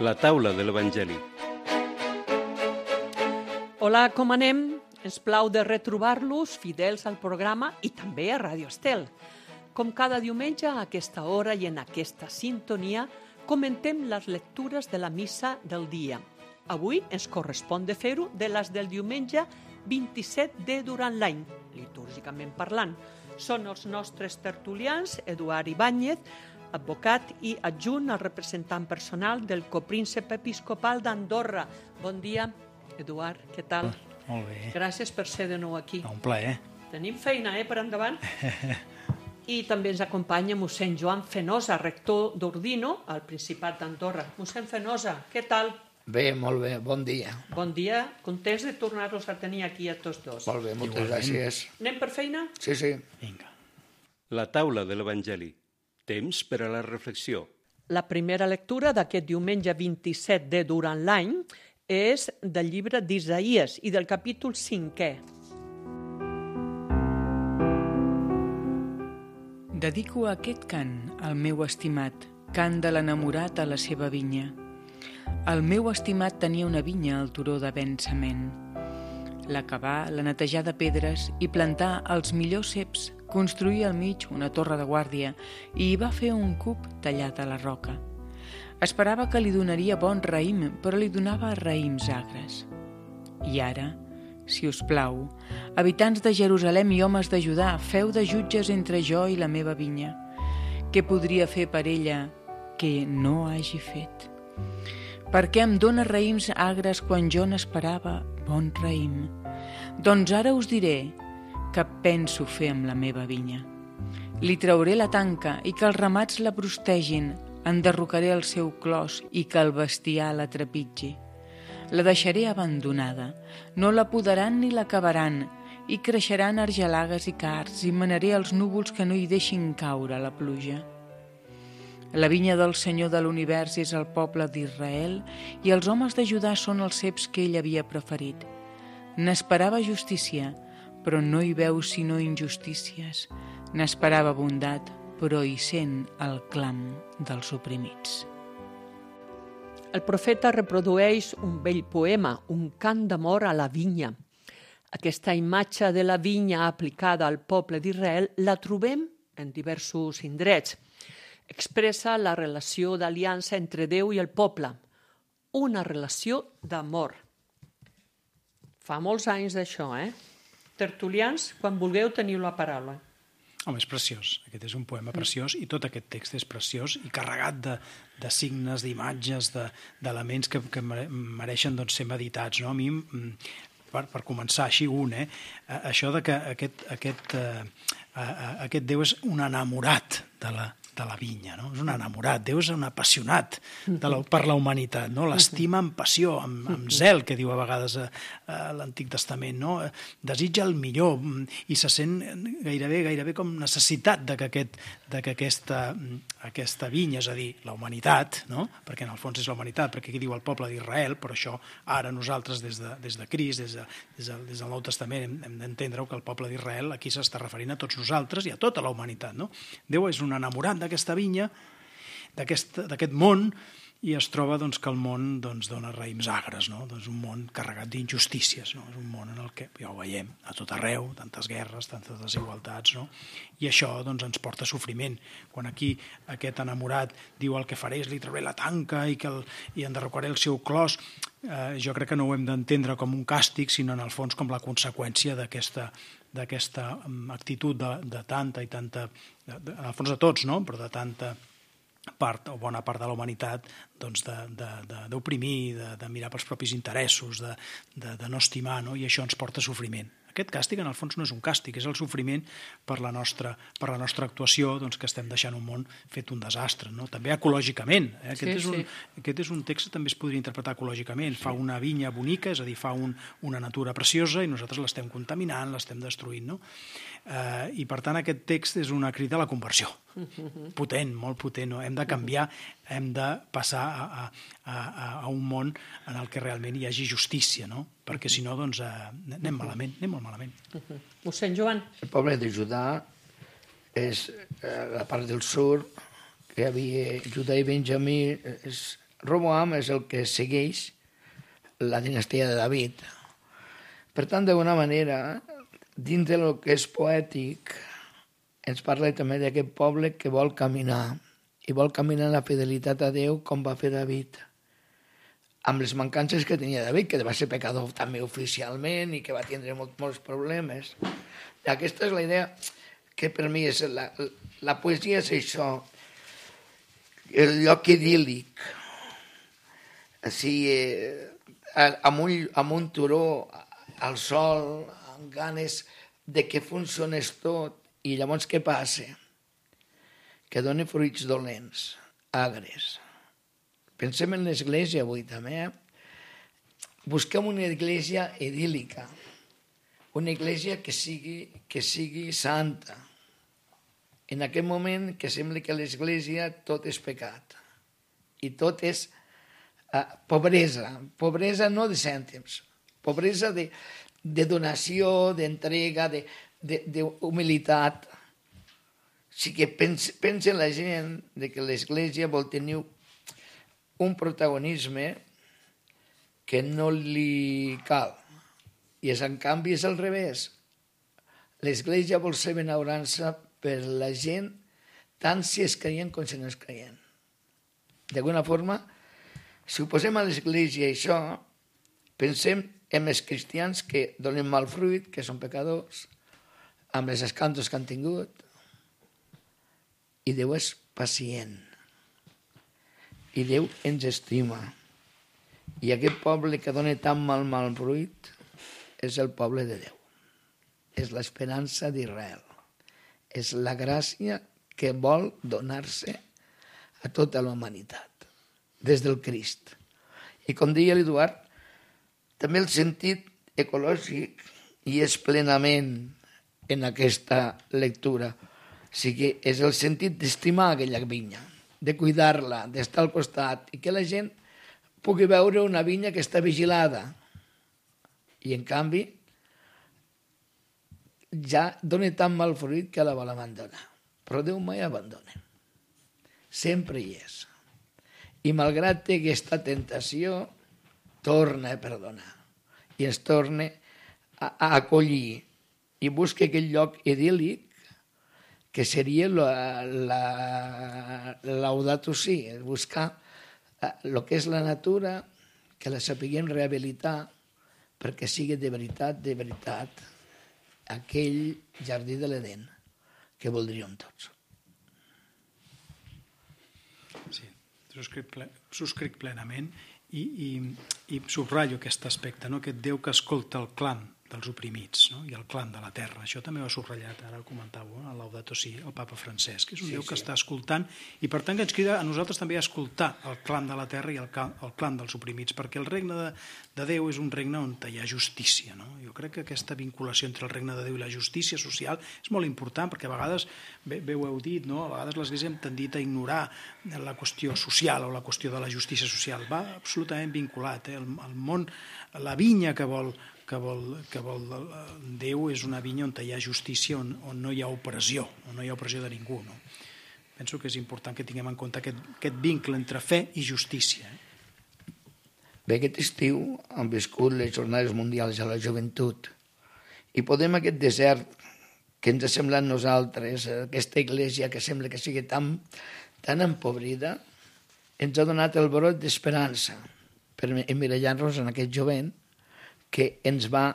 La taula de l'Evangeli. Hola, com anem? Ens plau de retrobar-los fidels al programa i també a Radio Estel. Com cada diumenge, a aquesta hora i en aquesta sintonia, comentem les lectures de la missa del dia. Avui ens correspon de fer-ho de les del diumenge 27 de durant l'any, litúrgicament parlant. Són els nostres tertulians, Eduard Ibáñez, advocat i adjunt al representant personal del copríncep episcopal d'Andorra. Bon dia, Eduard, què tal? Molt bé. Gràcies per ser de nou aquí. Un plaer. Tenim feina, per endavant. I també ens acompanya mossèn Joan Fenosa, rector d'Ordino, al Principat d'Andorra. Mossèn Fenosa, què tal? Bé, molt bé, bon dia. Bon dia, contents de tornar-los a tenir aquí a tots dos. Molt bé, moltes gràcies. Anem per feina? Sí, sí. Vinga. La taula de l'Evangeli. Temps per a la reflexió. La primera lectura d'aquest diumenge 27 de durant l'any és del llibre d'Isaïes i del capítol 5è. Dedico aquest cant al meu estimat, cant de l'enamorat a la seva vinya. El meu estimat tenia una vinya al turó de Bensament. L'acabar, la netejar de pedres i plantar els millors ceps, construir al mig una torre de guàrdia i hi va fer un cub tallat a la roca. Esperava que li donaria bon raïm, però li donava raïms agres. I ara, si us plau, habitants de Jerusalem i homes de Judà, feu de jutges entre jo i la meva vinya. Què podria fer per ella que no hagi fet? Per què em dóna raïms agres quan jo n'esperava bon raïm? Doncs ara us diré què penso fer amb la meva vinya. Li trauré la tanca i que els ramats la prostegin, enderrocaré el seu clos i que el bestiar la trepitgi. La deixaré abandonada, no la podaran ni l'acabaran, i creixeran argelagues i cards, i manaré els núvols que no hi deixin caure la pluja. La vinya del Senyor de l'univers és el poble d'Israel i els homes de Judà són els ceps que ell havia preferit. N'esperava justícia, però no hi veu sinó injustícies. N'esperava bondat, però hi sent el clam dels oprimits. El profeta reprodueix un vell poema, un cant d'amor a la vinya. Aquesta imatge de la vinya aplicada al poble d'Israel la trobem en diversos indrets. Expressa la relació d'aliança entre Déu i el poble, una relació d'amor. Fa molts anys d'això, Tertulians, quan vulgueu teniu la paraula. Home, és preciós. Aquest és un poema preciós i tot aquest text és preciós i carregat de signes, d'imatges, d'elements que mereixen ser meditats. No? A mi, per començar així això de que aquest Déu és un enamorat de la vinya, no? És un enamorat, Déu és un apassionat per la humanitat, no? L'estima amb passió, amb zel, que diu a vegades l'Antic Testament, no? Desitja el millor i se sent gairebé com necessitat de que aquesta vinya, és a dir, la humanitat, no? Perquè en el fons és la humanitat, perquè aquí diu el poble d'Israel, però això ara nosaltres des de Crist, des del Nou Testament hem d'entendre que el poble d'Israel aquí s'està referint a tots nosaltres i a tota la humanitat, no? Déu és un enamorat d'aquesta vinya, d'aquest món, i es troba que el món dona raïms agres, no? Un món carregat d'injustícies, no? És un món en el que, ja ho veiem, a tot arreu, tantes guerres, tantes desigualtats, no? I això ens porta sofriment. Quan aquí aquest enamorat diu el que faré és li trauré la tanca i enderrocaré el seu clos, jo crec que no ho hem d'entendre com un càstig, sinó en el fons com la conseqüència d'aquesta actitud de tanta i tanta, en el fons de tots, no? Però de tanta part o bona part de la humanitat d'oprimir, de mirar pels propis interessos, de no estimar, no? I això ens porta a sofriment. Aquest càstig, en el fons, no és un càstig, és el sofriment per la nostra actuació, que estem deixant un món fet un desastre, no? També ecològicament. Aquest és un text que també es podria interpretar ecològicament. Fa una vinya bonica, és a dir, fa una natura preciosa i nosaltres l'estem contaminant, l'estem destruint, no? I, per tant, aquest text és una crida a la conversió. Potent, molt potent, no? Hem de canviar, hem de passar a un món en el que realment hi hagi justícia, no? Perquè si no, anem malament, anem molt malament. Mossèn Joan. El poble de Judà és la part del sud, que hi havia Judà i Benjamí, és Roboam és el que segueix la dinastia de David. Per tant, d'alguna manera, dins del que és poètic, ens parla també d'aquest poble que vol caminar, i vol caminar en la fidelitat a Déu com va fer David, amb les mancances que tenia David, que va ser pecador també oficialment i que va tindre molts problemes. I aquesta és la idea que per mi és la poesia és això, el lloc idíl·lic, amb un turó, al sol, amb ganes de que funcionés tot, i llavors què passa? Que doni fruits dolents, agres. Pensem en l'església avui també. Busquem una església idíl·lica, una església que sigui santa. En aquest moment que sembla que a l'església tot és pecat i tot és pobresa no de cèntims, pobresa de donació, d'entrega, d'humilitat. O sigui, pensa la gent que l'Església vol tenir un protagonisme que no li cal. I en canvi és al revés. L'Església vol ser benaurança per la gent, tant si és creient com si no és creient. D'alguna forma, si ho posem a l'Església això, pensem en els cristians que donen mal fruit, que són pecadors, amb els escàndols que han tingut, i Déu és pacient, i Déu ens estima. I aquest poble que dona tan mal fruit és el poble de Déu. És l'esperança d'Israel. És la gràcia que vol donar-se a tota la humanitat, des del Crist. I com deia l'Eduard, també el sentit ecològic hi és plenament en aquesta lectura. O sigui, és el sentit d'estimar aquella vinya, de cuidar-la, d'estar al costat, i que la gent pugui veure una vinya que està vigilada. I, en canvi, ja dona tan mal fruit que la vol abandonar. Però Déu mai abandona. Sempre hi és. I malgrat té aquesta tentació, torna a perdonar i ens torna a acollir i busca aquell lloc idíl·lic que seria Laudato Si, buscar el que és la natura, que la sapiguem rehabilitar perquè sigui de veritat, aquell jardí de l'Edén que voldríem tots. Sí, subscric plenament i subratllo aquest aspecte, no? Aquest Déu que escolta el clam dels oprimits, no? I el clam de la terra. Això també ho ha subratllat, ara ho comentàveu, el Laudato Si, el papa Francesc. És un Déu que està escoltant i per tant que ens crida a nosaltres també a escoltar el clam de la terra i el clam dels oprimits, perquè el regne de Déu és un regne on hi ha justícia, no? Jo crec que aquesta vinculació entre el regne de Déu i la justícia social és molt important, perquè a vegades, bé ho heu dit, no? A vegades l'Església hem tendit a ignorar la qüestió social o la qüestió de la justícia social. Va absolutament vinculat, el món, la vinya que vol Déu és una vinya on hi ha justícia, on no hi ha opressió, on no hi ha opressió de ningú, no? Penso que és important que tinguem en compte aquest vincle entre fe i justícia. Bé, aquest estiu han viscut les Jornades Mundials de la Joventut i podem aquest desert que ens ha semblat nosaltres, aquesta església que sembla que sigui tan empobrida, ens ha donat el brot d'esperança per emmirallar-nos en aquest jovent que ens va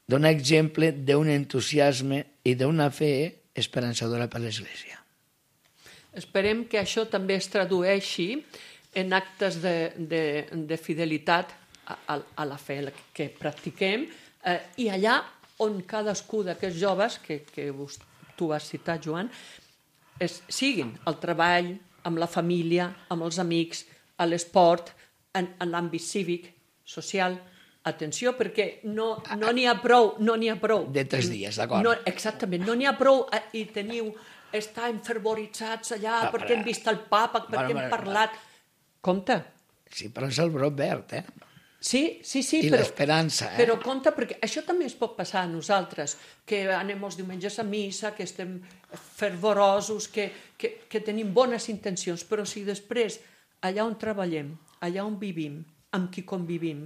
donar exemple d'un entusiasme i d'una fe esperançadora per l'Església. Esperem que això també es tradueixi en actes de fidelitat a la fe que practiquem i allà on cadascú d'aquests joves, que tu has citat, Joan, siguin al treball, amb la família, amb els amics, a l'esport, en l'àmbit cívic, social. Atenció, perquè no n'hi ha prou. De 3 dies, d'acord. Exactament, no n'hi ha prou i estar enfervoritzats allà perquè hem vist el papa, perquè hem parlat. Compte. Sí, però és el brot verd, eh? Sí, I l'esperança, eh? Però compte, perquè això també es pot passar a nosaltres, que anem els diumenges a missa, que estem fervorosos, que tenim bones intencions, però si després allà on treballem, allà on vivim, amb qui convivim,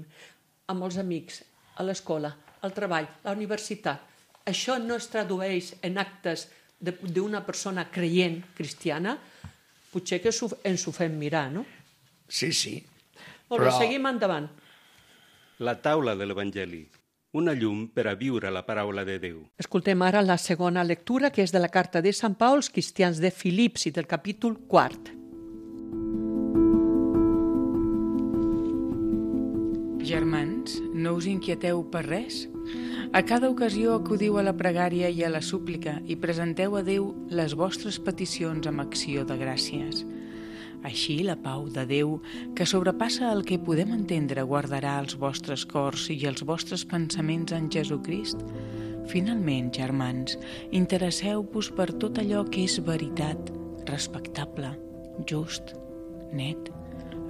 amb els amics, a l'escola, al treball, a la universitat, això no es tradueix en actes d'una persona creient cristiana, potser que ens ho fem mirar, no? Sí, sí. Molt bé, seguim endavant. La taula de l'Evangeli, una llum per a viure la paraula de Déu. Escoltem ara la segona lectura, que és de la carta de Sant Pau als cristians de Filips i del capítol 4. Germans, no us inquieteu per res? A cada ocasió acudiu a la pregària i a la súplica i presenteu a Déu les vostres peticions amb acció de gràcies. Així la pau de Déu, que sobrepassa el que podem entendre, guardarà els vostres cors i els vostres pensaments en Jesucrist. Finalment, germans, interesseu-vos per tot allò que és veritat, respectable, just, net,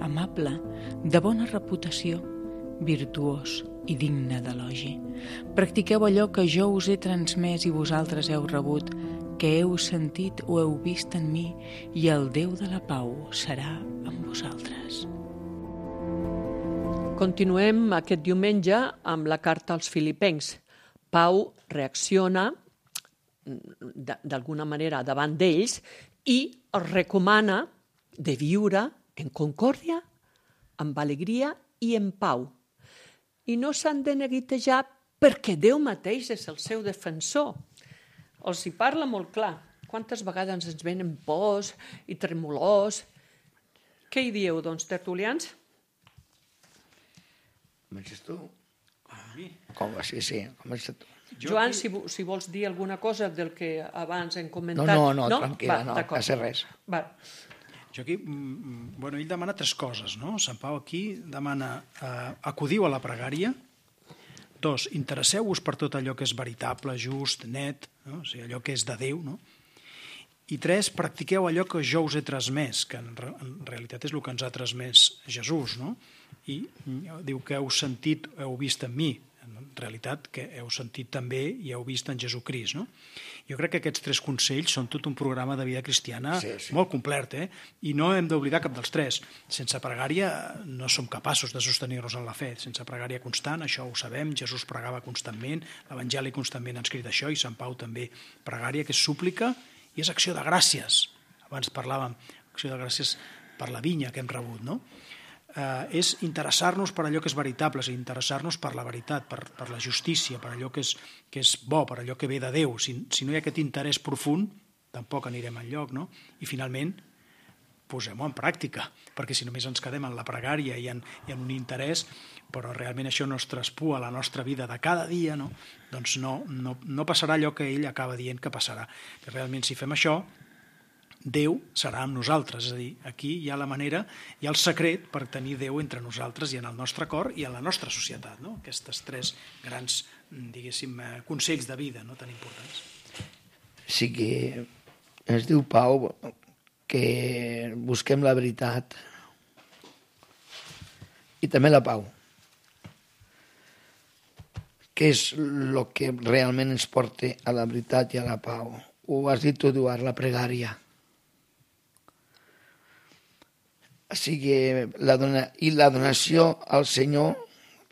amable, de bona reputació, virtuós i digne d'elogi. Practiqueu allò que jo us he transmès i vosaltres heu rebut, que heu sentit o heu vist en mi, i el Déu de la pau serà amb vosaltres. Continuem aquest diumenge amb la carta als filipencs. Pau reacciona d'alguna manera davant d'ells i els recomana de viure en concòrdia, amb alegria i en pau. I no s'han de neguitejar perquè Déu mateix és el seu defensor. Els hi parla molt clar. Quantes vegades ens venen pors i tremolors. Què hi dieu, doncs, tertulians? Comences tu? Com va? Sí, comença tu. Joan, si vols dir alguna cosa del que abans hem comentat. No, tranquil·la, no passa res. Va. Jo aquí, ell demana 3 coses, no? Sant Pau aquí demana acudiu a la pregària. 2, interesseu-vos per tot allò que és veritable, just, net, no? O sigui, allò que és de Déu, no? I 3, practiqueu allò que jo us he transmès, que en realitat és el que ens ha transmès Jesús, no? I diu que heu sentit, heu vist en mi, en realitat que heu sentit també i heu vist en Jesucrist, no? Jo crec que aquests 3 consells són tot un programa de vida cristiana molt complet, i no hem d'oblidar cap dels 3. Sense pregària no som capaços de sostenir-nos en la fe. Sense pregària constant, això ho sabem, Jesús pregava constantment, l'Evangeli constantment ha escrit això, i Sant Pau també. Pregària, que és súplica i és acció de gràcies. Abans parlàvem, acció de gràcies per la vinya que hem rebut, no? És interessar-nos per allò que és veritable, és interessar-nos per la veritat, per la justícia, per allò que és bo, per allò que ve de Déu. Si no hi ha aquest interès profund, tampoc anirem enlloc, no? I finalment, posem-ho en pràctica, perquè si només ens quedem en la pregària i en un interès, però realment això no es traspua a la nostra vida de cada dia, no? Doncs no passarà allò que ell acaba dient que passarà. Que realment, si fem això, Déu serà amb nosaltres, és a dir, aquí hi ha la manera, hi ha el secret per tenir Déu entre nosaltres i en el nostre cor i en la nostra societat, no? Aquestes 3 grans, diguéssim, consells de vida, no?, tan importants. Sí que ens diu Pau que busquem la veritat i també la pau. Què és el que realment ens porta a la veritat i a la pau? Ho has dit tu, Eduard, la pregària. O sigui, la donació al Senyor,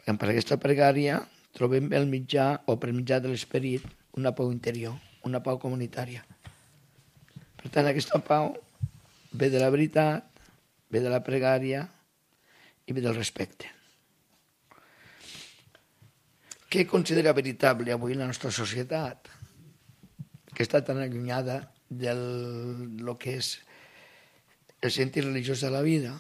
per aquesta pregària, trobem el mitjà, o per mitjà de l'esperit, una pau interior, una pau comunitària. Per tant, aquesta pau ve de la veritat, ve de la pregària i ve del respecte. Què considera veritable avui la nostra societat, que està tan allunyada del que és el sentit religiós de la vida?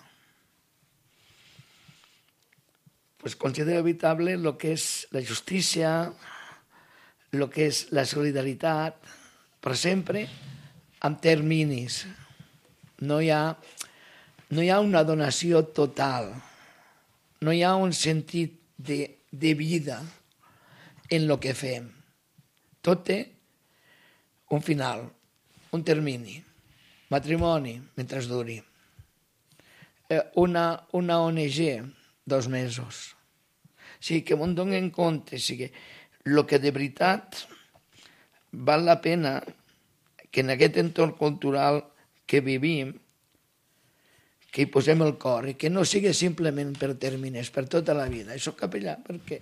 Pues considera veritable el que és la justícia, el que és la solidaritat, però sempre amb terminis. No hi ha una donació total, no hi ha un sentit de vida en el que fem. Tot té un final, un termini. Matrimoni, mentre duri. Una ONG, 2 mesos. O sigui, que m'ho donen en compte. O sigui, el que de veritat val la pena que en aquest entorn cultural que vivim, que hi posem el cor i que no sigui simplement per tèrmines, per tota la vida. I soc capellà perquè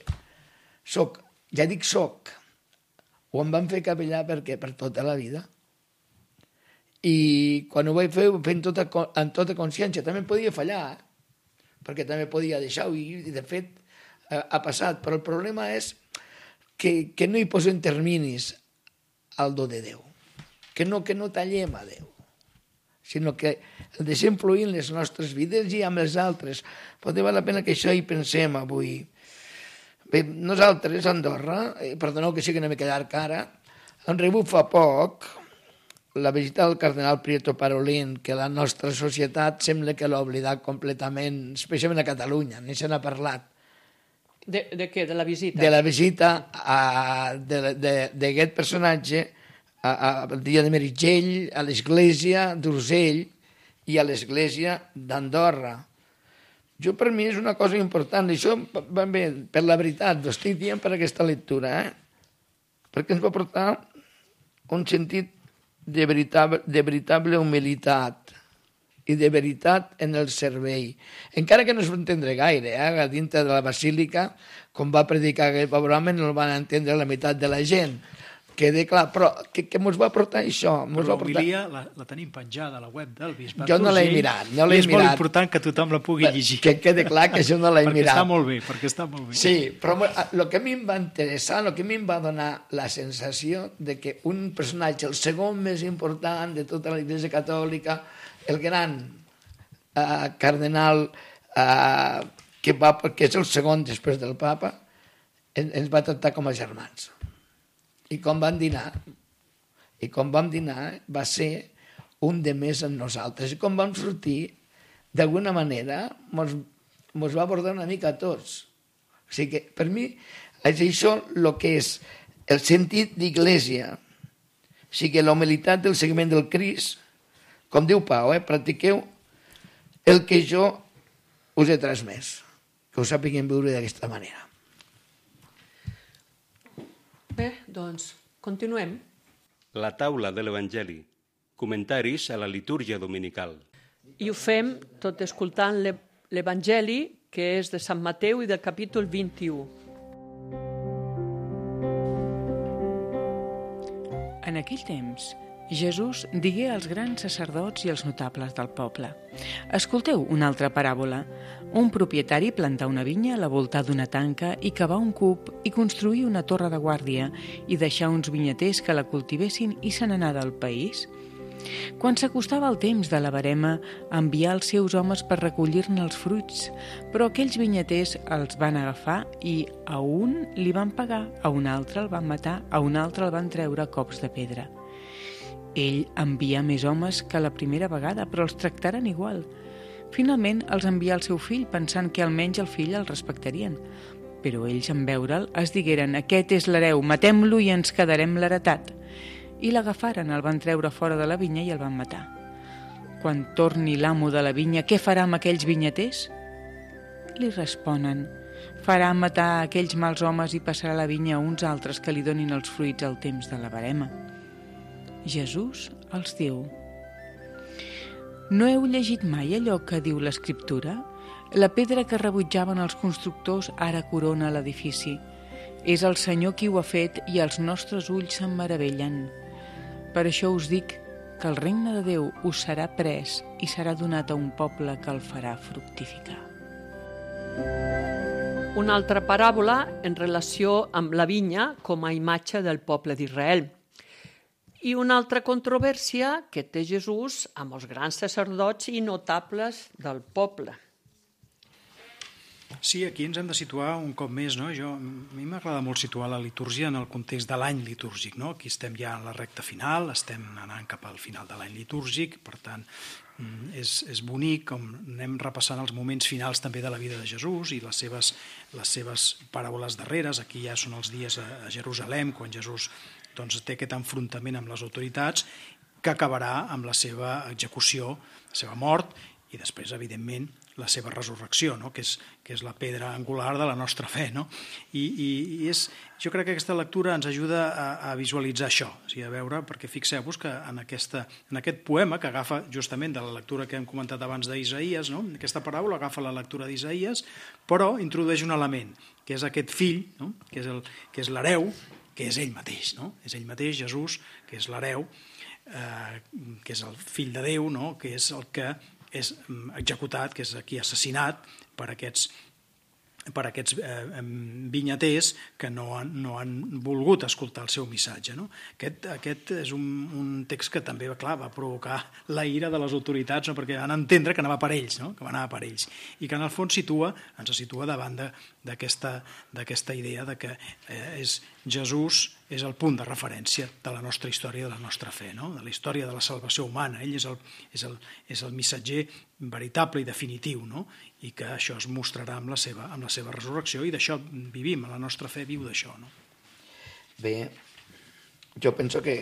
ja dic soc, ho em van fer capellà perquè per tota la vida. I quan ho vaig fer, ho vaig fer amb tota consciència. També podia fallar, perquè també podia deixar-ho, i de fet ha passat. Però el problema és que no hi posem terminis al do de Déu, que no tallem a Déu, sinó que el deixem fluir en les nostres vides i amb les altres. Pot val la pena que això hi pensem avui. Bé, nosaltres, a Andorra, perdoneu que sigui una mica llarg ara, hem rebut fa poc la visita del cardenal Prieto Parolin, que la nostra societat sembla que l'ha oblidat completament, especialment a Catalunya, ni se n'ha parlat. De què? De la visita? De la visita d'aquest personatge al dia de Meritxell, a l'església d'Urgell i a l'església d'Andorra. Jo, per mi, és una cosa important. Això, bé, per la veritat, ho estic dient per aquesta lectura, perquè ens va portar un sentit de veritable humilitat i de veritat en el servei. Encara que no es va entendre gaire, dintre de la basílica, com va predicar aquell pobre home, no el van entendre la meitat de la gent. Quede clar, però què ens va portar això? Però l'homilia la tenim penjada a la web del bisbat. Jo no l'he mirat, I és molt important que tothom la pugui llegir. Que quede clar que això no l'he mirat. Perquè està molt bé. Sí, però el que a mi em va interessar, el que a mi em va donar la sensació de que un personatge, el segon més important de tota la Iglesia Catòlica, el gran cardenal que és el segon després del papa, ens va tractar com a germans. I com vam dinar va ser un de més en nosaltres. I com vam sortir, d'alguna manera, mos va abordar una mica a tots. O sigui que, per mi, és això el que és el sentit d'Iglésia. O sigui, la humilitat del seguiment del Crist, com diu Pau, practiqueu el que jo us he transmès, que ho sàpiguem viure d'aquesta manera. Bé, doncs, continuem. La taula de l'Evangeli. Comentaris a la litúrgia dominical. I ho fem tot escoltant l'Evangeli, que és de Sant Mateu i del capítol 21. En aquell temps, Jesús digué als grans sacerdots i als notables del poble: «Escolteu una altra paràbola. Un propietari plantà una vinya a la volta d'una tanca i cavà un cub i construí una torre de guàrdia i deixà uns vinyaters que la cultivessin i se n'anà del país. Quan s'acostava el temps de la verema, envià els seus homes per recollir-ne els fruits, però aquells vinyaters els van agafar i a un li van pagar, a un altre el van matar, a un altre el van treure a cops de pedra. Ell envià més homes que la primera vegada, però els tractaren igual. Finalment els envià el seu fill, pensant que almenys el fill el respectarien. Però ells, en veure'l, es digueren: «Aquest és l'hereu, matem-lo i ens quedarem l'heretat». I l'agafaren, el van treure fora de la vinya i el van matar. Quan torni l'amo de la vinya, què farà amb aquells vinyaters? Li responen: «Farà matar aquells mals homes i passarà la vinya a uns altres que li donin els fruits al temps de la verema». Jesús els diu: «No heu llegit mai allò que diu l'Escriptura? La pedra que rebutjaven els constructors ara corona l'edifici. És el Senyor qui ho ha fet i els nostres ulls se'n meravellen. Per això us dic que el regne de Déu us serà pres i serà donat a un poble que el farà fructificar». Una altra paràbola en relació amb la vinya com a imatge del poble d'Israel. I una altra controvèrsia que té Jesús amb els grans sacerdots i notables del poble. Sí, aquí ens hem de situar un cop més, no? A mi m'agrada molt situar la litúrgia en el context de l'any litúrgic, no? Aquí estem ja en la recta final, estem anant cap al final de l'any litúrgic, per tant, és bonic com anem repassant els moments finals també de la vida de Jesús i les seves paraules darreres. Aquí ja són els dies a Jerusalem, quan Jesús té aquest enfrontament amb les autoritats, que acabarà amb la seva execució, la seva mort i després, evidentment, la seva resurrecció, no? que és la pedra angular de la nostra fe. No? I jo crec que aquesta lectura ens ajuda a visualitzar això, o sigui, a veure, perquè fixeu-vos que en aquest poema, que agafa justament de la lectura que hem comentat abans d'Isaïes, no? Aquesta paràbola agafa la lectura d'Isaïes, però introdueix un element, que és aquest fill, no? que és l'hereu, que és ell mateix, no? És ell mateix, Jesús, que és l'hereu, que és el fill de Déu, no? Que és el que és executat, que és aquí assassinat per aquests vinyaters que no han volgut escoltar el seu missatge. No? Aquest és un text que també, clar, va provocar la ira de les autoritats, no? Perquè van entendre que anava per ells, no? Que anava per ells, i que en el fons ens situa davant d'aquesta idea de que Jesús és el punt de referència de la nostra història, de la nostra fe, no? De la història de la salvació humana. Ell és el missatger veritable i definitiu, no? I que això es mostrarà amb la seva resurrecció, i d'això vivim, la nostra fe viu d'això. No? Bé, jo penso que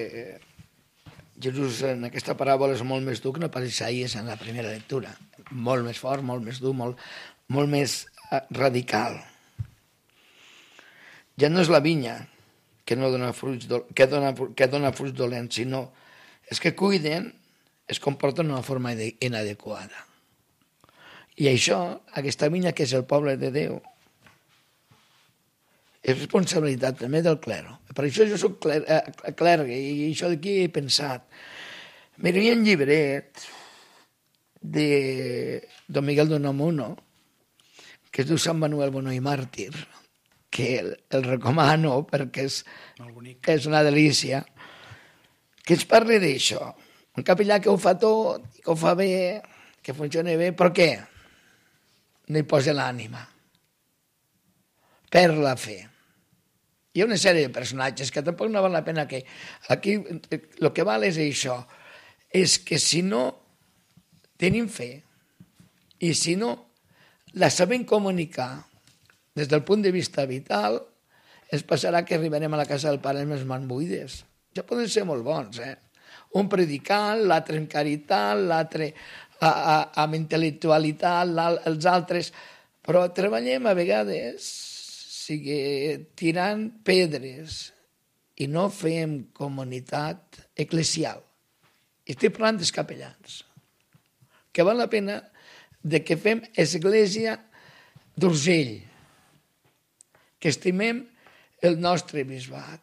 Jesús en aquesta paràbola és molt més dur que no pas Isaïes en la primera lectura. Molt més fort, molt més dur, molt més radical. Ja no és la vinya que dona fruits dolents, sinó és que cuiden, es comporten d'una forma inadequada. I això, aquesta vinya que és el poble de Déu, és responsabilitat també del clero. Per això jo soc clergue, i això d'aquí he pensat. Mira, hi ha un llibret de Don Miguel de Unamuno, que es diu Sant Manuel Bonó i Màrtir, que el recomano perquè és una delícia, que ens parli d'això. Un capellà que ho fa tot, que ho fa bé, que funciona bé, però què? No hi posa l'ànima. Perd la fe. Hi ha una sèrie de personatges que tampoc no val la pena que... Aquí el que val és això, és que si no tenim fe i si no la sabem comunicar des del punt de vista vital, ens passarà que arribarem a la casa del Pare amb les mans buides. Ja poden ser molt bons, Un predicant, l'altre en caritat, l'altre amb intel·lectualitat, els altres... Però treballem a vegades tirant pedres i no fem comunitat eclesial. Estic parlant dels capellans. Que val la pena de que fem església d'Urgell, que estimem el nostre bisbat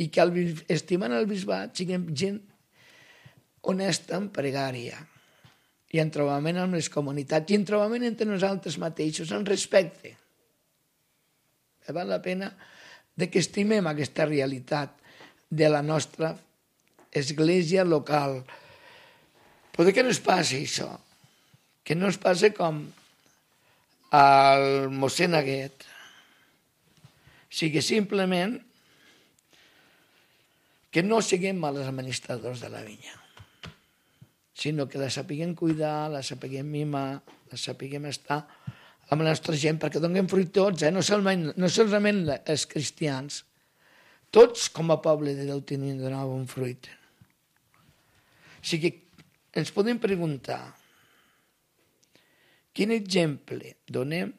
i que estimant el bisbat siguem gent honesta en pregària i en trobament amb les comunitats i en trobament entre nosaltres mateixos, en respecte. Val la pena de que estimem aquesta realitat de la nostra església local. Però que no es passi això, que no es passi com al mossèn Aguet, sigui simplement que no siguem mals administradors de la vinya, sinó que la sapiguem cuidar, la sapiguem mimar, la sapiguem estar amb la nostra gent, perquè donem fruit tots, no solament els cristians, tots com a poble de Déu tenim de donar bon fruit. O sigui, ens podem preguntar quin exemple donem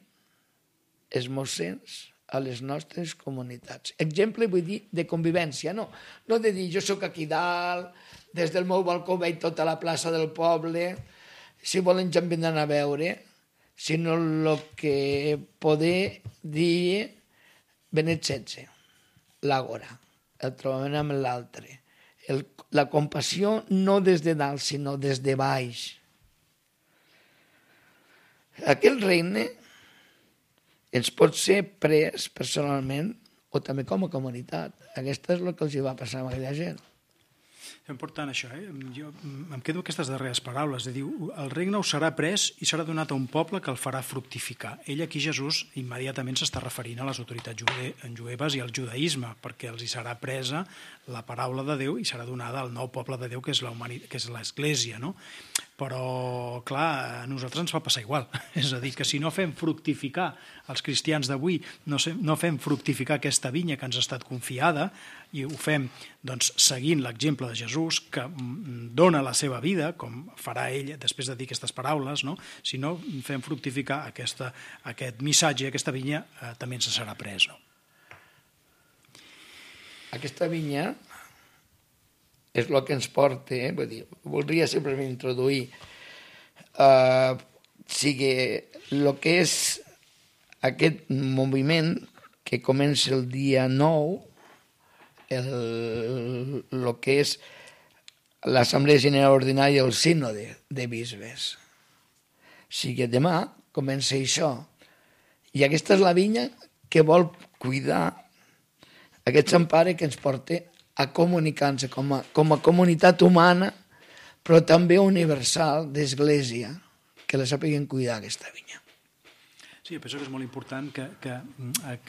els mossens a les nostres comunitats. Exemple vull dir de convivència, no de dir jo sóc aquí dalt, des del meu balcó veig tota la plaça del poble, si volen ja em vindran a veure, sinó el que poder dir Benet XVI, l'àgora, el trobament amb l'altre, la compassió no des de dalt, sinó des de baix. Aquell regne ens pot ser pres personalment o també com a comunitat. Aquesta és el que els va passar a aquella gent. És important això, Jo em quedo aquestes darreres paraules. Diu, el regne us serà pres i serà donat a un poble que el farà fructificar. Ell aquí, Jesús, immediatament s'està referint a les autoritats jueves i al judaïsme, perquè els hi serà presa la paraula de Déu i serà donada al nou poble de Déu, que és l'Església, no? Però, clar, a nosaltres ens va passar igual. És a dir, que si no fem fructificar els cristians d'avui, no fem fructificar aquesta vinya que ens ha estat confiada, i ho fem doncs, seguint l'exemple de Jesús, que dona la seva vida, com farà ell després de dir aquestes paraules, no? Si no fem fructificar aquest missatge, aquesta vinya, també ens serà pres, no? Aquesta vinya és el que ens porta, vull dir, voldria simplement introduir sigui el que és aquest moviment que comença el dia 9, el que és l'Assemblea General Ordinària, el Sínode de Bisbes. O sigui, demà comença això. I aquesta és la vinya que vol cuidar aquest Sant Pare que ens porta a comunicar-nos com a comunitat humana, però també universal d'Església, que la sàpiguen cuidar aquesta vinya. Sí, penso que és molt important que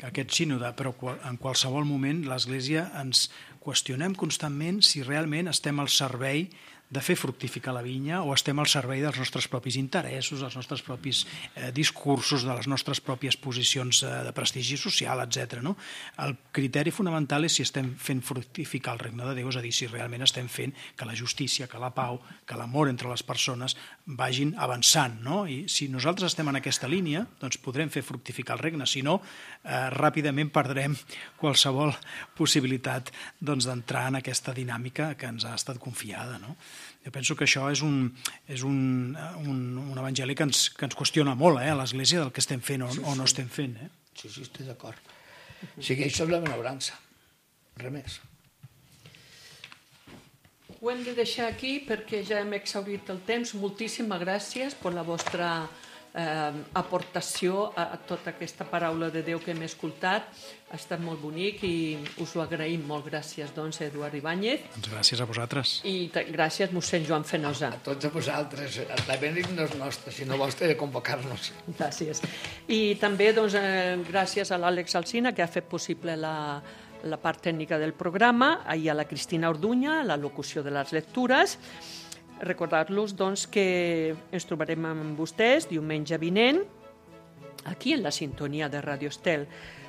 aquest sínode, però en qualsevol moment l'Església ens qüestionem constantment si realment estem al servei de fer fructificar la vinya o estem al servei dels nostres propis interessos, dels nostres propis discursos, de les nostres pròpies posicions de prestigi social, etc. No? El criteri fonamental és si estem fent fructificar el regne de Déu, és a dir, si realment estem fent que la justícia, que la pau, que l'amor entre les persones vagin avançant. No? I si nosaltres estem en aquesta línia, doncs podrem fer fructificar el regne, si no, ràpidament perdrem qualsevol possibilitat d'entrar en aquesta dinàmica que ens ha estat confiada. No? Jo penso que això és un evangeli que ens qüestiona molt a l'Església del que estem fent o no estem fent. Sí, estic d'acord. O sigui, això és la benaurança, res més. Ho hem de deixar aquí perquè ja hem exhaurit el temps. Moltíssimes gràcies per la vostra aportació a tota aquesta paraula de Déu que hem escoltat. Ha estat molt bonic i us ho agraïm molt. Gràcies, doncs, Eduard Ibáñez. Doncs gràcies a vosaltres. I gràcies, mossèn Joan Fenosa. A tots a vosaltres. La benedic no és nostra, sinó vostra de convocar-nos. Gràcies. I també, doncs, gràcies a l'Àlex Alsina, que ha fet possible la part tècnica del programa, i a la Cristina Orduña, la locució de les lectures. Recordar-los, doncs, que ens trobarem amb vostès diumenge vinent aquí en la sintonia de Radio Estel.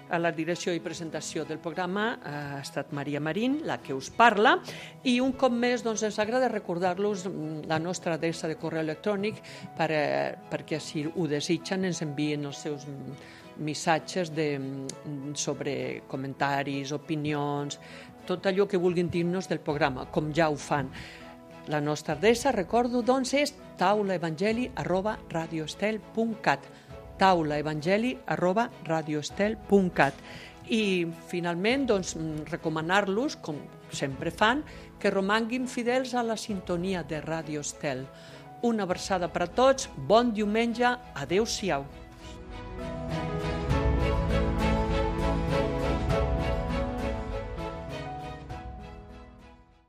A la direcció i presentació del programa ha estat Maria Marín, la que us parla, i un cop més doncs, ens agrada recordar-los la nostra adreça de correu electrònic perquè si ho desitgen ens envien els seus missatges sobre comentaris, opinions, tot allò que vulguin dir-nos del programa, com ja ho fan. La nostra adreça, recordo, doncs, és taulaevangeli@radioestel.cat, taulaevangeli@radioestel.cat. I, finalment, doncs, recomanar-los, com sempre fan, que romanguin fidels a la sintonia de Radio Estel. Una abraçada per a tots, bon diumenge, adeu-siau.